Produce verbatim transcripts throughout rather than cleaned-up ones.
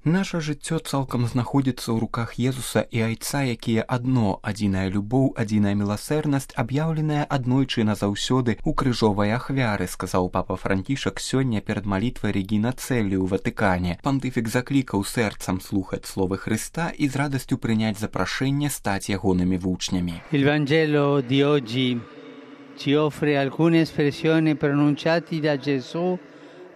Наша жыццё цалкам знаходзіцца ў руках Езуса і Айца, якія адно, адзіная любоў, адзіная міласэрнасць, аб'яўленая аднойчы назаўсёды ў крыжовай ахвяры, сказаў папа Францішак сёння перад малітвай Регіна Цэлі ў Ватыкане. Пантыфік заклікаў сэрцам слухаць словы Хрыста і з радасцю прыняць запрашэнне стаць ягонымі вучнямі. Il Vangelo di oggi ci offre alcune espressioni pronunciate da Gesù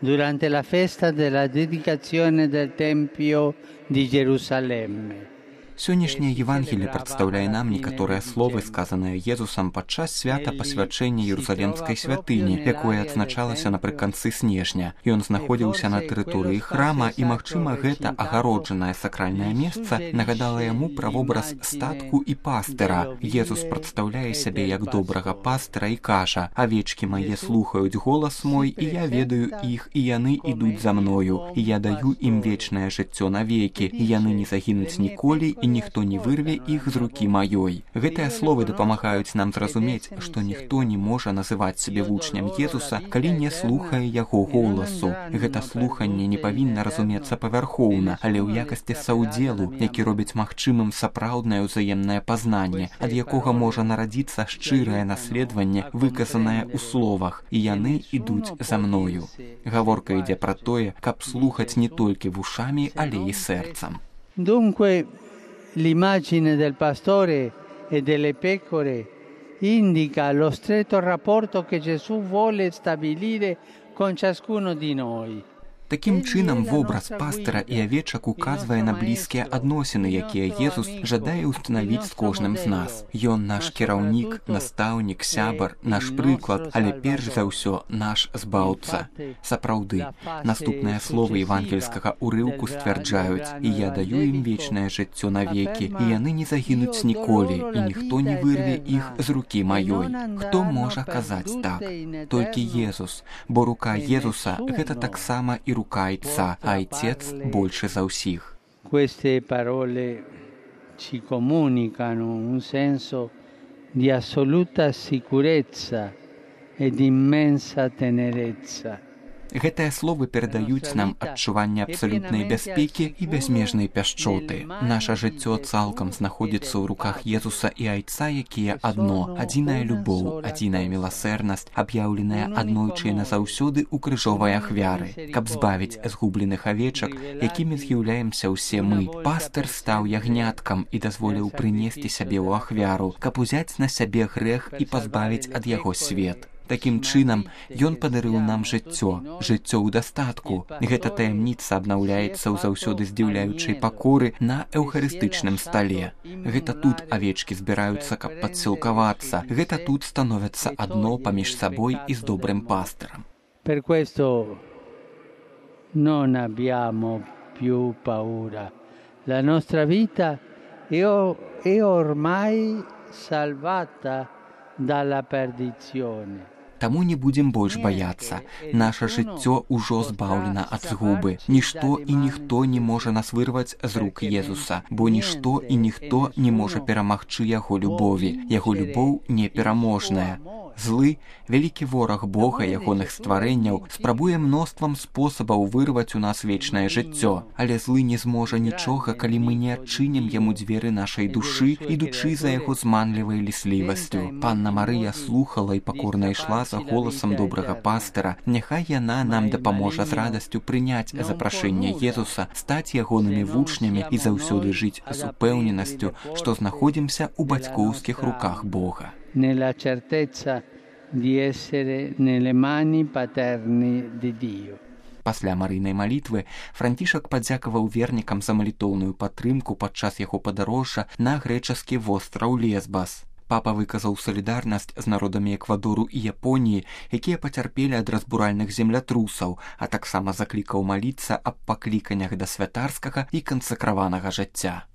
durante la festa della dedicazione del Tempio di Gerusalemme. Сённяшняе Евангелие прадстаўляе нам некаторыя словы, сказаныя Езусам падчас свята пасвячэння Ерусалемскай святыні, якое адзначалася напрыканцы снежня. Ён знаходзіўся на тэрыторыі храма, і, магчыма, гэта агароджанае сакральнае месца нагадала яму пра вобраз статку і пастыра. Езус прадстаўляе сябе як добрага пастыра і кажа: «Авечкі мае слухаюць голас мой, і я ведаю іх, і яны ідуць за мною, і я даю ім вечнае жыццё навекі, і яны не загінуць ніколі, і ніхто не вырве іх з рукі маёй». Гэтыя словы дапамагаюць нам зразумець, што ніхто не можа называць сябе вучням Езуса, калі не слухае яго голасу. Гэта слуханне не павінна разумецца павярхоўна, але ў якасці саўдзелу, які робіць магчымым сапраўднае ўзаемнае пазнанне, ад якога можа нарадзіцца шчырае наследаванне, выказанае ў словах: «І яны ідуць за мною». Гаворка ідзе пра тое, каб слухаць не толькі вушамі, але і сэрцам. Dunque, l'immagine del pastore e delle pecore indica lo stretto rapporto che Gesù vuole stabilire con ciascuno di noi. Такім чынам, вобраз пастыра і авечак указвае на блізкія адносіны, якія Езус жадае ўстанавіць з кожным з нас. Ён наш кіраўнік, настаўнік, сябар, наш прыклад, але перш за ўсё наш збаўца. Сапраўды, наступныя словы евангельскага ўрыўку сцвярджаюць: «І я даю ім вечнае жыццё навекі, і яны не загінуць ніколі, і ніхто не вырве іх з рукі маёй». Хто можа казаць так? Толькі Езус, бо рука Езуса — гэта таксама і рука Айца, а Айцец больше за ўсіх. Queste parole ci comunicano un senso di assoluta sicurezza e di immensa tenerezza. Гэтыя словы перадаюць нам адчуванне абсалютнай бяспекі і бязмежнай пяшчоты. Наша жыццё цалкам знаходзіцца ў руках Езуса і Айца, якія адно, адзіная любоў, адзіная міласэрнасць, аб'яўленая аднойчы назаўсёды ў крыжовай ахвяры. Каб збавіць згубленых авечак, якімі з'яўляемся ўсе мы, пастыр стаў ягняткам і дазволіў прынесці сябе ў ахвяру, каб узяць на сябе грэх і пазбавіць ад яго свет. Такім чынам, ён падарыў нам жыццё, жыццё ў дастатку. Гэта таямніца абнаўляецца ў заўсёды здзіўляючай пакоры на эўхарыстычным стале. Гэта тут авечкі збіраюцца, каб падсілкавацца. Гэта тут становяцца адно паміж сабой і з добрым пастырам. Per questo non abbiamo più paura. La nostra vita è ormai salvata dalla perdizione. Таму не будзем больш баяцца. Наша жыццё ўжо збаўлена ад згубы. Нішто і ніхто не можа нас вырваць з рук Езуса, бо нішто і ніхто не можа перамагчы яго любові. Яго любоў непераможная. Злы, вялікі вораг Бога, ягоных стварэнняў, спрабуе мноствам спосабаў вырваць у нас вечнае жыццё. Але злы не зможа нічога, калі мы не адчынім яму дзверы нашай душы, ідучы за яго зманлівай ліслівасцю. Панна Марыя слухала і пакорна ішла за голасам добрага пастыра. Няхай яна нам дапаможа з радасцю прыняць запрашэнне Езуса, стаць ягонымі вучнямі і заўсёды жыць з упэўненасцю, што знаходзімся ў бацькоўскіх руках Бога. Nella certezza di essere nelle mani paterni di Dio. Пасля марыйнай малітвы Францішак падзякаваў вернікам за малітоўную падтрымку падчас яго падарожжа на грэчаскі востраў Лесбас. Папа выказаў салідарнасць з народамі Эквадору і Японіі, якія пацярпелі ад разбуральных землятрусаў, а таксама заклікаў маліцца аб пакліканнях да святарскага і кансакраванага жыцця.